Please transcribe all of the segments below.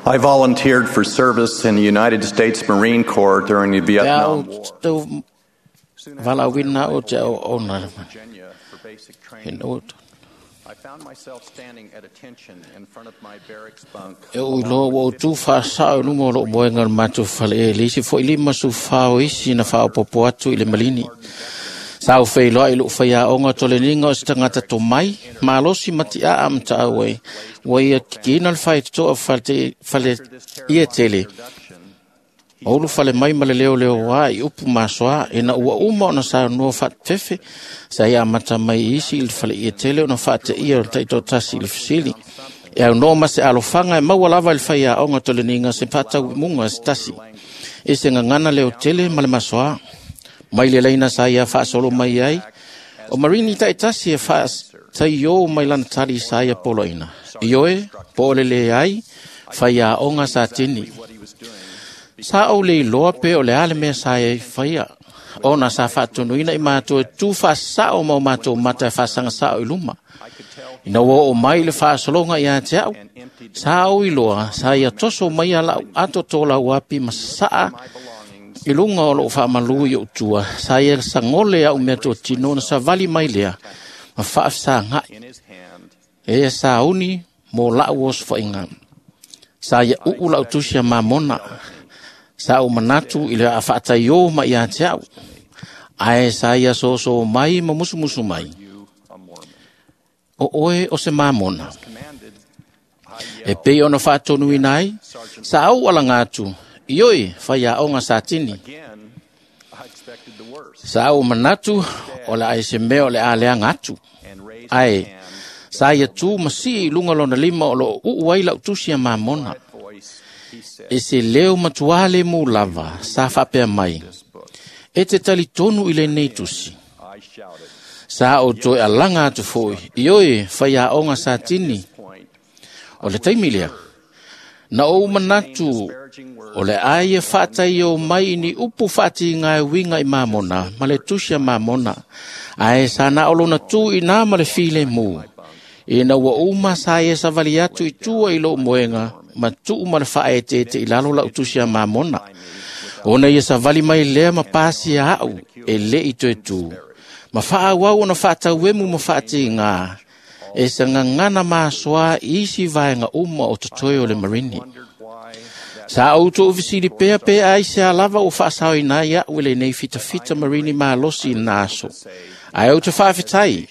I volunteered for service in the United States Marine Corps during the Pe a Vietnam ou War. tau Soon valaauina after au te arrival au ona in Virginia for basic e training, no I found myself standing at attention in front of my barracks bunk. E ou iloa ua ou tu faasao i luma o lou moega o le matou fale e le isi foi 54 o isi na faaopopo atu i le malini. Sa ou feiloai i lou faiaoga o toleniga o se tagata tomai, malosi ma tiaa ma taau ai, ua ia kikiina le faitotoa fale ia tele. Ma ulu fale mai ma le leoleoā i upu masoa, ina ua uma ona saunoa faafefe, sa ia amata mai i isi i le fale ia tele ona faateia o le taitoatasi i le fesili. E aunoa ma se alofaga e maua lava i le faiaoga toleniga se faatauimuga se tasi. E se gagana leo tele ma le masoa. Mai le laina sa ia faasolo mai ai, o Marini taitasi e faataio mai lana tali sa ia poloina. Ioe, po o le leai, faiaoga sa tini. What he was doing Sa ou le iloa pe o le a le mea sa ia i faia. Ona sa faatonuina i matou e tu faasao ma o matou mata e faasagasao i luma. I could tell Ina ua oo mai le faasologa ia te au, and emptied sa ou iloa sa ia toso mai a lau ato tō api ma sasaa my belongings i luga o lou faamalu i ou tua, sa ia sagole au mea totino na savali mai lea, ma faafesagai. in his hand. E ia sauni mo lau osofaiga. Sa ia uu lau tusi a mamona. Sa ou manatu i le faataiō mai ia te au. Ae sa ia soso mai ma musumusu mai. You a Mormon. O oe o se mamona. Commanded, I E pei ona faatonuina ai, sa ou alaga atu, ioi faiaoga sa tini. again, I expected the worst Sa ou manatu o le ai se mea o le a leaga atu. and raised Ae, his hand, sa ia tu ma sii i luga lona lima o loo uu ai lau tusi a mamona. voice, he said, E se leo matua le mu lava, sa faapea mai. this book. E te talitonu i lenei tusi. I shouted. Sa ou toe alaga atu foi, ioe faiaoga sa tini. Point, O le taimi lea. Na ou manatu disparaging words o le a ia faataio mai i ni upu faatiga e uiga i mamona, ma le tusi a mamona. Ae sa na o lona tu i nā ma le filemu. Ina ua uma sa ia savali atu i tua i lou moega, ma tuu ma le faaeteete i lalo lau tusi a mamona. Ona ia savali mai lea ma pasi a au, e le i toe tu. Ma faaauau ona faatauemu ma faatiga, e sa gagana masoa i isi vaega uma o totoe o le marini. wondered why that Sa ou tou fesili pea pe ai se a lava o faasaoina ai au i lenei fitafita marini malosi i na aso. Ae ou te faafetai,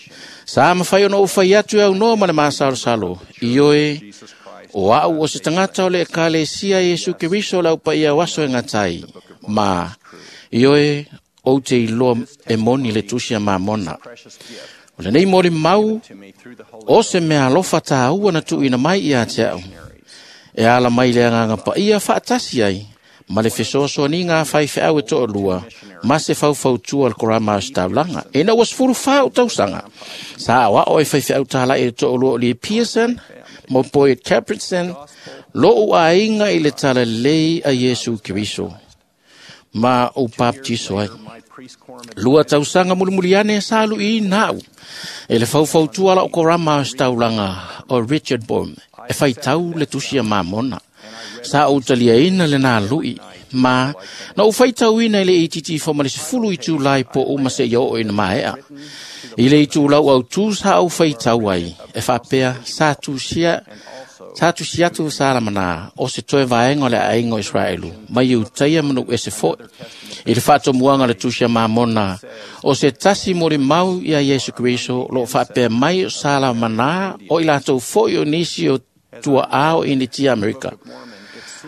sa mafai ona ou fai atu e aunoa ma le masalosalo, ioe, Jesus Christ o au o se tagata o le ekalesia Iesu Keriso o le aupaia o aso e gatai, ma ioe, ou te iloa e moni le tusi a mamona. precious gift O lenei moli mau, to me through the Holy o se mea alofa tāua na tuuina mai ia te au. E ala mai le agaga paia faatasi ai, ma le fesoasoaniga a faifeau e toalua, ma se faufautua o le korama o se taulaga. Ina ua 14 ou tausaga, sa aoao e faifeau tālai e toalua o Lee Pearson, ma Boyd Capritson, lou aiga i le talalei a Iesu Keriso, ma ou baptiso ai. my priest quorum Lua tausaga mulimuli ane sa aluiina au. E le faufautua lau korama o se taulaga o Richard Bohm, e faitau le tusi a mamona. Sa ou taliaina le nā lui, ma na ou faitauina i le itiiti fo ma le 10 itulai po uma se ia oo ina maea. I le itulau au tu sa ou faitau ai, e faapea sa tusia Sa tusi atu sa lamana o se toe vaega o le aiga o Israelu, mai Iutaia ma nuu ese foi. I le faatomuaga le tusi a mamona, o se tasi molimau ia Iesu Keriso, o loo faapea mai o sa lamanā o i latou foi o nisi o tuaā o Initia Amerika.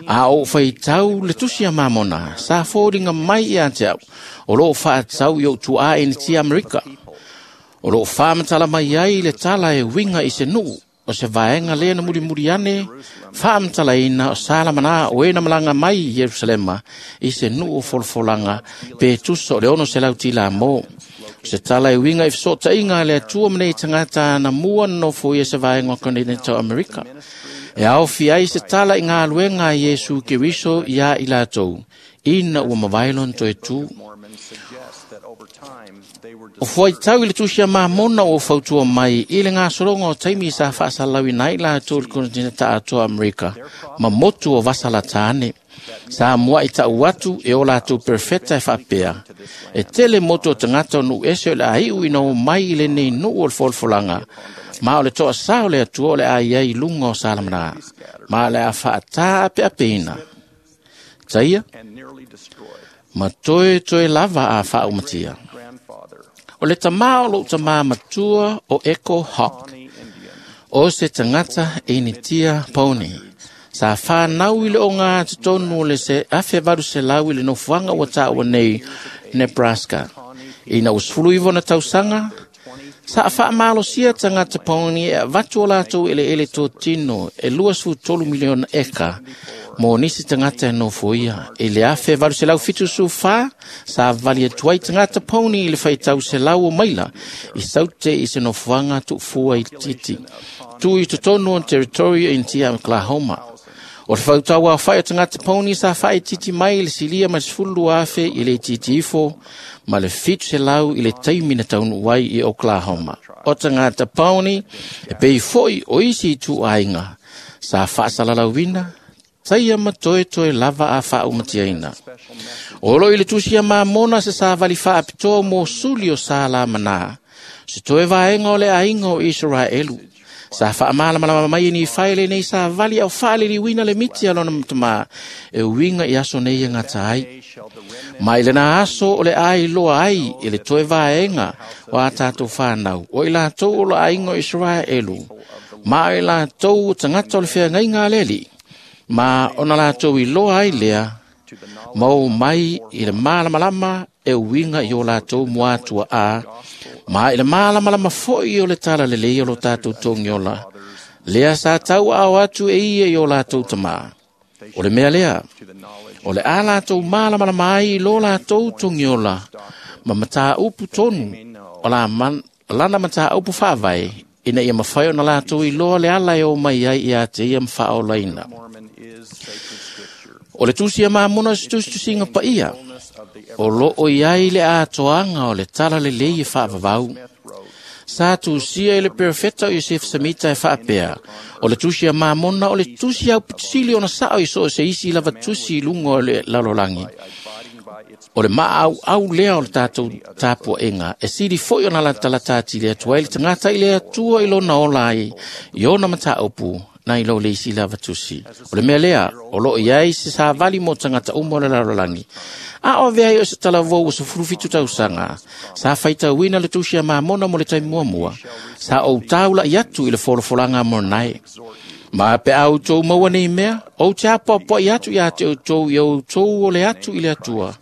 A ou faitau le tusi a mamona, sa foliga mai ia te au, o loo faatau i ou tuaa Initia Amerika. O loo faamatala mai ai le tala e uiga i se nuu, o se vaega lea na mulimuli ane, faamatalaina o Salamanā o e na malaga mai i Ierusalema i se nuu o folafolaga pe tusa o le 600 tila mo. O se tala e uiga i fesootaiga a le Atua ma nei tagata na mua nonofo ia se vaega o Continental America. E aofi ai se tala i ngā luenga a Iesu Keriso ia i lātou, ina ua mavae lona toe tu. O fuaitau i le tusi a Mamona o fautua mai i le gasologa o taimi sa faasalauina ai latou i le konetineta atoa Amerika ma motu o Vasalatane. Sa muai tau atu e o latou perfeta e faapea. E tele motu o tagata o nuu ese o le a iu ina o mai i lenei nuu o le folafolaga. Ma o le toa sa o le atua o le a iai lunga o Salamana. Ma o le a faata apeapeina. Taia, ma toe toe lava a faaumatia. O le tamā o lou tamā matua o Echo Hawk, o se tagata e initia poni. Sa whānau i le o ngā tonu o le se 1800 i le nofuanga ua tāua nei Nebraska. Ina ua 19 na tausaga, sa whaamalosia tagata poni e avatu o lātou ele ele tō tino e 23 miliona eka mo nisi tagata e nofoia. I le 1874, sa vali atu ai tagata poni i le whaitau se lau o maila i saute i se nofoanga tuufua i titi. Tu i totonu o territorio i Ntia Oklahoma. O le fautaua whai o tagata poni sa whai titi mai i le silia ma 12,000 i le titi ifo ma le 700 i le taimi na taunu ai i Oklahoma. O tagata poni e pei foi o isi i tuaiga sa faasalalauina taia ma toe toe lava a faaumatiaina. O lo i le tusi a Mamona se savali faapitoa mo suli o Salamana, se toe vaenga o le aiga o Israelu. Sa faamalamalama mai ni whaele nei sa vali au whaaliliwina le miti a lona mtama e uinga i aso nei e ngata ai. Mai le na aso o le ai loa ai i le toe vaenga o a tātou whānau o i lātou o le aiga o Israelu. Ma i lātou o tangata o le wheangaiga leli. Ma ona lātou i loa ai lea, mau mai i le malamalama e uinga i o lātou muatua a, ma i le malamalama foi o le tala lelei o lo tātou tongiola, lea sa tau ao atu e ia i o lātou tamā. O le mea lea, o le a lātou malamalama ai i lo lātou tongiola, ma mataa upu tonu, o la man, lana mataa upu whaavai, ina ia mawhai o na lātou i loa le ala e o mai ai i a te ia mwhaolaina. O le tusi a Mamona se tusitusinga paia, o lo o iai le atoanga o le tala lelei e whaavavau. Sa tusia i le perfeta o Yosef Samita e whaapea, o le tusi a Mamona o le tusi au pitisili ona sao i so o se isi lava tusi i lunga o le lalolangi. O le maa au au lea o le tātou tāpua enga, e siri foi ona latalata ati le atua i le tangata i le atua i lona ola ai, i ona mataupu, na i lo le isi lava tusi. O le mea lea, o lo iai se savali mo tangata umo o le lalolagi. A o vea i o se talavou o se 17 tausaga, sa whaitauina le tusi a Mamona mo le taimi muamua, sa o taula i atu i le folafolaga a Mornai. Ma pe au tou maua nei mea, ou te apoapoai atu ia te outou i outou o le atu i le atua.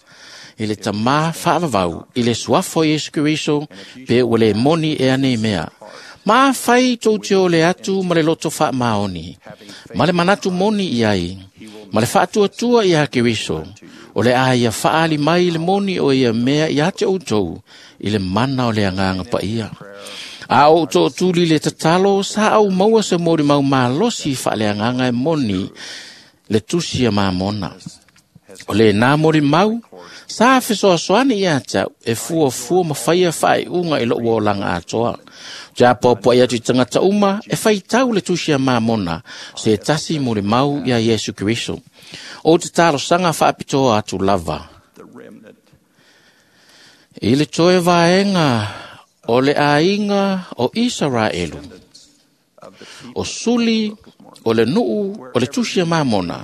I le tamā whaavavau, i le suafo Iesu Keriso, pe ua le moni e anei mea. Ma whai tō te o le atu ma le loto wha maoni. Ma le manatu moni i ai. Ma le whaatuatua i a Keriso. O le a ia whaali mai le moni o ia mea i a te outou i le mana o le anganga pa ia. A o tō tūli le tatalo sa au maua se mori mau malosi wha le anganga e moni le tusi a Mamona. O le nā mori mau, sa fesoasoani ia tau e fua fua ma whaia whae unga i lo uolanga atoa. Te apoapoa i atu i tangata uma e whaitau le tusi a Mamona se tasi mori mau ia Iesu Keriso. O te talo sanga whaapitoa atu lava. I le toe vaenga o le aiga o Israelu. O suli o le nuu o le tusi a Mamona.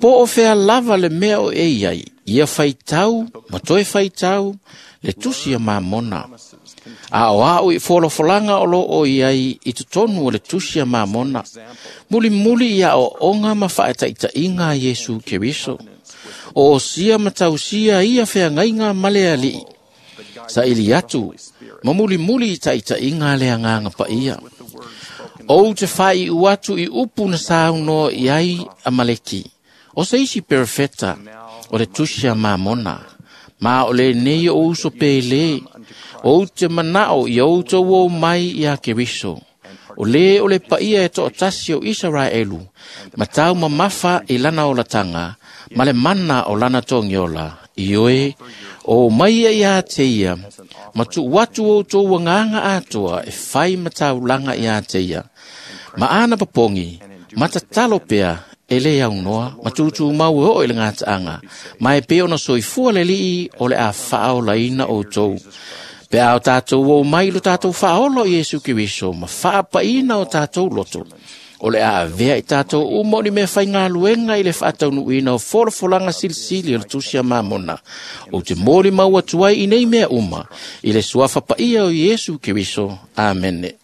Po o fea lava le mea o e iai, ia whaitau, ma toe whaitau, le tusi a Mamona. A o au i folafolanga o lo o iai i totonu o le tusi a Mamona. Muli muli ia o onga ma whaetaitainga a Iesu Keriso. O osia ma tausia ia wheangaiga ma le alii. Sa ili atu, ma muli muli i taitainga le anganga paia. O te whai u atu i upu na sauno i ai Amaleki. O se isi perfeta o le tusi a Mamona. Ma o le nei o uso pele. O te manao i outou o mai i a Keriso. O lē o le paia e toʻatasi o Isaraelu, ma tau mamafa i lana olataga ma le mana o lana togiola, ioe, o mai ia iā te ia, ma tuu atu outou agaga atoa e fai ma taulaga iā te ia. Ma ana papogi, ma tatalo pea e lē aunoa ma tūtūmau e oo i le gataaga, ma e pei ona soifua le Alii o le a faaolaina outou. Pe a o tatou ou mai lo tatou faaola o Iesu Keriso ma faapaina o tatou loto, o le a avea i tatou uma o ni mea faigaluega i le faataunuuina o folafolaga silisili o le Tusi a Mamona. Ou te molimau atu ai i nei mea uma, i le suafa paia o Iesu Keriso. Amene.